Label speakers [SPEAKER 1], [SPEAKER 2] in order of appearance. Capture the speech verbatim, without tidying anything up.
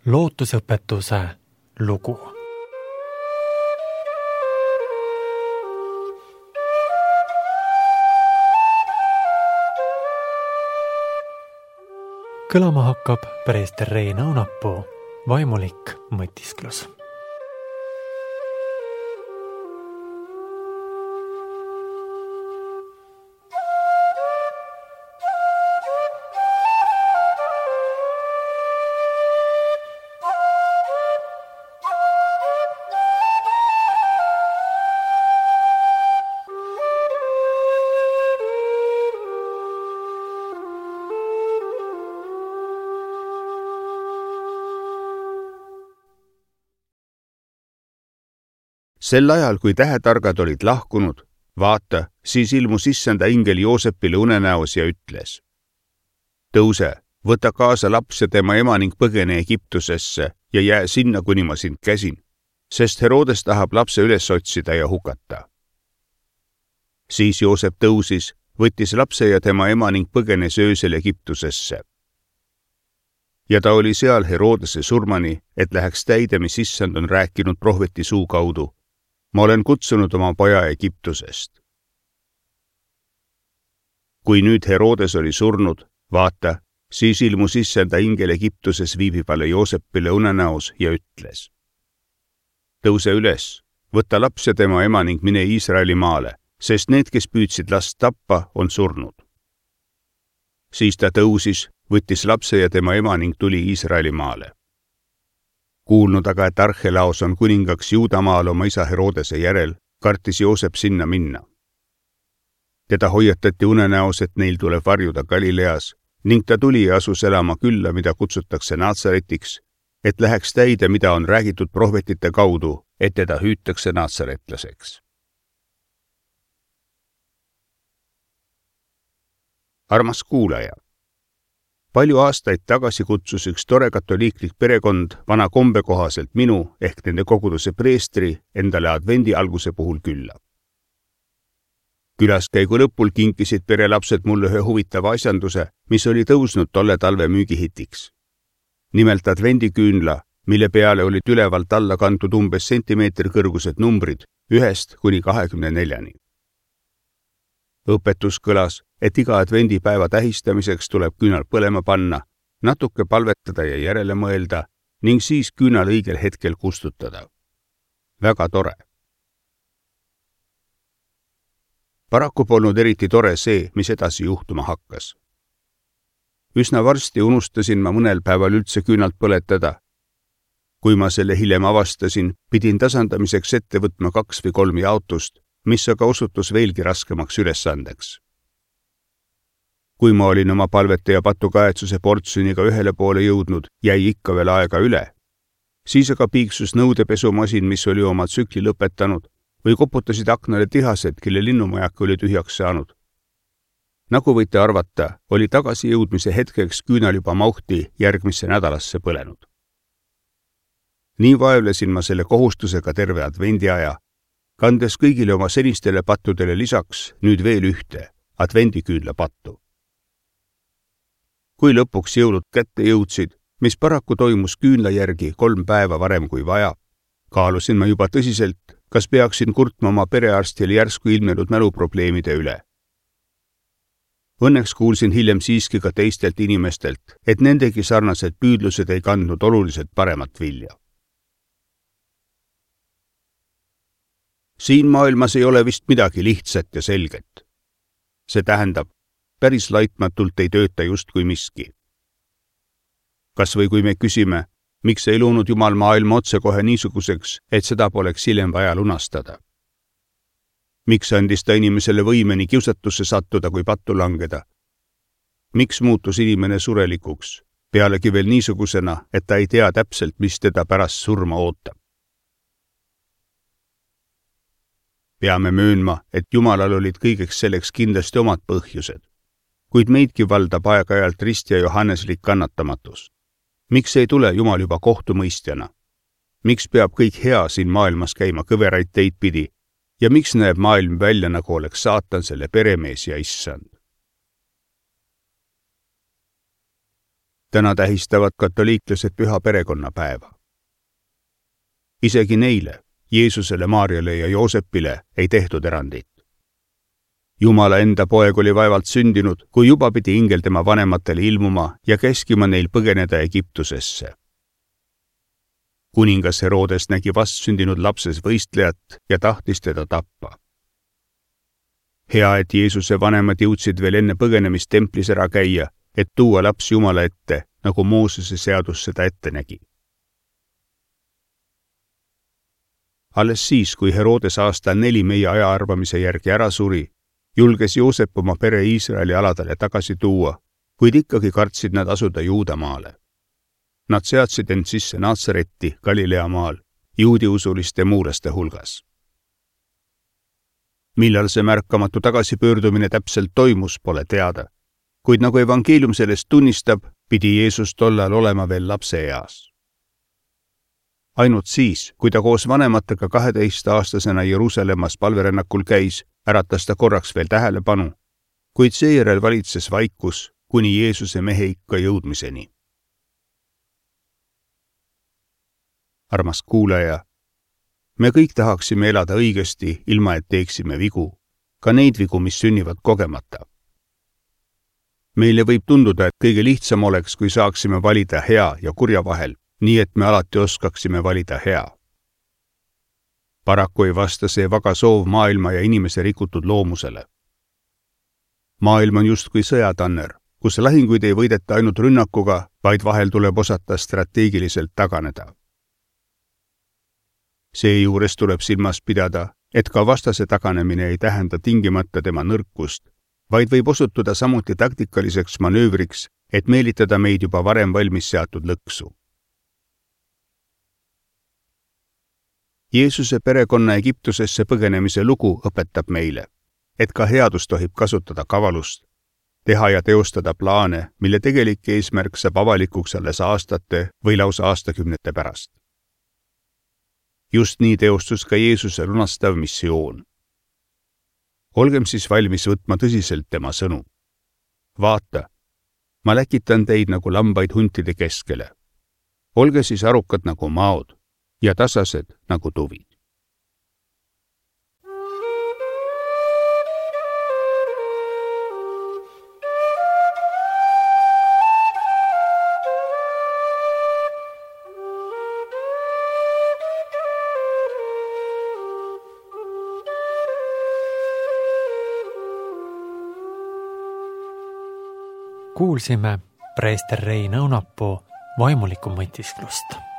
[SPEAKER 1] lootusõpetuse lugu. Kõlama hakkab preester Rein Aunapuu vaimulik mõtisklus.
[SPEAKER 2] Sel ajal, kui tähetargad olid lahkunud, vaata, siis ilmus issanda ingel Joosepile unenäos ja ütles: tõuse, võta kaasa laps ja tema ema ning põgene Egiptusesse ja jää sinna, kuni ma sind käsin, sest Herodes tahab lapse üles otsida ja hukata. Siis Joosep tõusis, võttis lapse ja tema ema ning põgenes öösel Egiptusesse. Ja ta oli seal Herodese surmani, et läheks täide, mis issand on rääkinud prohveti suu kaudu: ma olen kutsunud oma poja Egiptusest. Kui nüüd Herodes oli surnud, vaata, siis ilmus issanda ingel Egiptuses viibivale Joosepile unenäos ja ütles: tõuse üles, võta laps ja tema ema ning mine Iisraeli maale, sest need, kes püüdsid last tappa, on surnud. Siis ta tõusis, võttis lapse ja tema ema ning tuli Iisraeli maale. Kuulnud aga, et Archelaos on kuningaks Juudamaal oma isa Herodese järel, kartis Joosep sinna minna. Teda hoiatati unenäos, et neil tuleb varjuda Galileas, ning ta tuli ja asus elama külla, mida kutsutakse Natsaretiks, et läheks täide, mida on räägitud prohvetite kaudu, et teda hüütakse natsaretlaseks. Armas kuulaja! Palju aastaid tagasi kutsus üks tore katoliiklik perekond vana kombe kohaselt minu ehk nende koguduse preestri endale advendi alguse puhul külla. Külaskäigu lõpul kinkisid perelapsed mulle ühe huvitava asjanduse, mis oli tõusnud tolle talve müügihitiks. Nimelt advendiküünla, mille peale olid ülevalt alla kantud umbes sentimeetri kõrgused numbrid ühest kuni kahekümne neljani. Õpetus kõlas, et iga advendipäeva tähistamiseks tuleb küünal põlema panna, natuke palvetada ja järele mõelda ning siis küünal õigel hetkel kustutada. Väga tore. Paraku polnud eriti tore see, mis edasi juhtuma hakkas. Üsna varsti unustasin ma mõnel päeval üldse küünalt põletada. Kui ma selle hiljem avastasin, pidin tasandamiseks ette võtma kaks või kolm jaotust, mis aga osutus veelgi raskemaks ülesandeks. Kui ma olin oma palvete ja patukaetsuse portsuniga ühele poole jõudnud, jäi ikka veel aega üle. Siis aga piiksus nõudepesumasin, mis oli oma tsükli lõpetanud, või koputasid aknale tihased, kelle linnumajak oli tühjaks saanud. Nagu võite arvata, oli tagasijõudmise hetkeks küünal juba mauhti järgmisse nädalasse põlenud. Nii vaevlesin ma selle kohustusega terve advendiaja, kandes kõigile oma senistele pattudele lisaks nüüd veel ühte, advendiküünla pattu. Kui lõpuks jõulud kätte jõudsid, mis paraku toimus küünla järgi kolm päeva varem kui vaja, kaalusin ma juba tõsiselt, kas peaksin kurtma oma perearstile järsku ilmnenud mäluprobleemide üle. Õnneks kuulsin hiljem siiski ka teistelt inimestelt, et nendegi sarnased püüdlused ei kandnud oluliselt paremat vilja. Siin maailmas ei ole vist midagi lihtsat ja selget. See tähendab, päris laitmatult ei tööta just kui miski. Kas või kui me küsime, miks ei loonud Jumal maailma otsekohe niisuguseks, et seda poleks hiljem vaja lunastada? Miks andis ta inimesele võimeni kiusatusse sattuda kui pattu langeda? Miks muutus inimene surelikuks, pealegi veel niisugusena, et ta ei tea täpselt, mis teda pärast surma ootab? Peame möönma, et Jumalal olid kõigeks selleks kindlasti omad põhjused, kuid meidki valdab aeg-ajalt rist ja johanneslik kannatamatus. Miks ei tule Jumal juba kohtumõistjana? Miks peab kõik hea siin maailmas käima kõveraid teid pidi ja miks näeb maailm välja, nagu oleks saatan selle peremees ja issand? täna tähistavad katoliiklased püha perekonnapäeva. Isegi neile, Jeesusele, Maarjale ja Joosepile ei tehtud erandit. Jumala enda poeg oli vaevalt sündinud, kui juba pidi ingel tema vanematele ilmuma ja käskima neil põgeneda Egiptusesse. Kuningas Herodes nägi vastsündinud lapses võistlejat ja tahtis teda tappa. Hea, et Jeesuse vanemad jõudsid veel enne põgenemist templis ära käia, et tuua laps Jumala ette, nagu Moosese seadus seda ette nägi. Alles siis, kui Herodes aastal neli meie ajaarvamise järgi ära suri, julges Joosep oma pere Iisraeli aladele tagasi tuua, kuid ikkagi kartsid nad asuda Juudamaale. Nad seadsid end sisse Naatsaretti Galilea maal, juudiusuliste muulaste hulgas. Millal see märkamatu tagasipöördumine täpselt toimus, pole teada, kuid nagu evangeelium sellest tunnistab, pidi Jeesus tollal olema veel lapse eas. Ainult siis, kui ta koos vanematega kaheteist-aastasena Jeruusalemmas palverännakul käis, äratas ta korraks veel tähelepanu, kuid seejärel valitses vaikus kuni Jeesuse mehe ikka jõudmiseni. Armas kuulaja, me kõik tahaksime elada õigesti, ilma et teeksime vigu, ka neid vigu, mis sünnivad kogemata. Meile võib tunduda, et kõige lihtsam oleks, kui saaksime valida hea ja kurja vahel, nii et me alati oskaksime valida hea. Paraku ei vasta see vaga soov maailma ja inimese rikutud loomusele. Maailm on justkui sõjatanner, kus lahinguid ei võideta ainult rünnakuga, vaid vahel tuleb osata strateegiliselt taganeda. Seejuures tuleb silmas pidada, et ka vastase taganemine ei tähenda tingimata tema nõrkust, vaid võib osutuda samuti taktikaliseks manöövriks, et meelitada meid juba varem valmis seatud lõksu. Jeesuse perekonna Egiptusesse põgenemise lugu õpetab meile, et ka headus tohib kasutada kavalust, teha ja teostada plaane, mille tegelik eesmärk saab avalikuks alles aastate või lausa aastakümnete pärast. Just nii teostus ka Jeesuse lunastav missioon. Olgem siis valmis võtma tõsiselt tema sõnu. Vaata, ma läkitan teid nagu lambaid huntide keskele. Olge siis arukad nagu maod ja tasased nagu tuvid.
[SPEAKER 1] Kuulsime preester Rein Õunapuu vaimulikku mõtisklust.